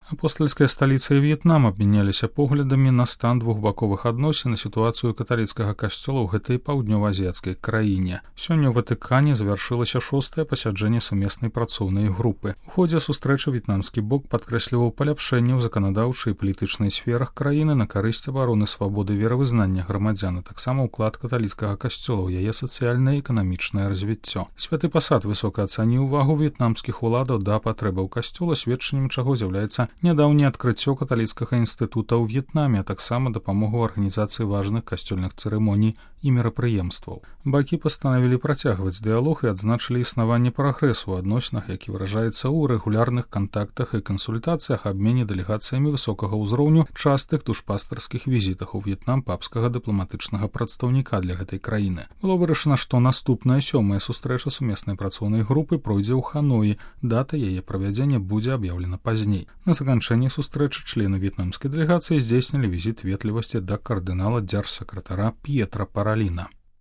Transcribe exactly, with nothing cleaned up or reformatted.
Апостольская сталіца і В'етнам абмяняліся поглядамі на стан двухбаковых адносін і сітуацыю каталіцкага касцёла ў гэтай паўднёва-азіяцкай краіне. Сёння ў Ватыкане завяршылася шостае пасяджэнне сумеснай працоўнай групы. У ходзе сустрэчы в'етнамскі бок падкрэсліваў паляпшэнне ў заканадаўчай і палітычнай сферах краіны на карысць абароны свабоды веравызнання грамадзян, а таксама ўклад каталіцкага касцёла ў яе сацыяльнае і эканамічнае развіццё. Святы пасад высока ацаніў увагу в'етнамскіх уладаў да патрэбаў касцёла, сведчаннем чаго з'яўляецца нядаўняе адкрыццё каталіцкага інстытута ў В'етнаме, а таксама дапамогу арганізацыі важных касцёльных цырымоній і мерапрыемстваў. Бакі пастанавілі працягваць дыялог і адзначылі існаванне прагрэсу ў адносінах, які выражаецца ў рэгулярных кантактах і кансультацыях, абмене дэлегацыямі высокага ўзроўню, частых душпастарскіх візітах у В'етнам папскага дыпламатычнага прадстаўніка для гэтай краіны. Было вырашана, што наступная сёмая сустрэча сумеснай працоўнай групы пройдзе ў Ханоі. Дата яе правядзення будзе аб'яўлена пазней. На заканчэнні сустрэчы члены в'етнамскай дэлегацыі здзейснілі візіт ветлівасці да кардынала дзяржсакратара П'етра Параліна.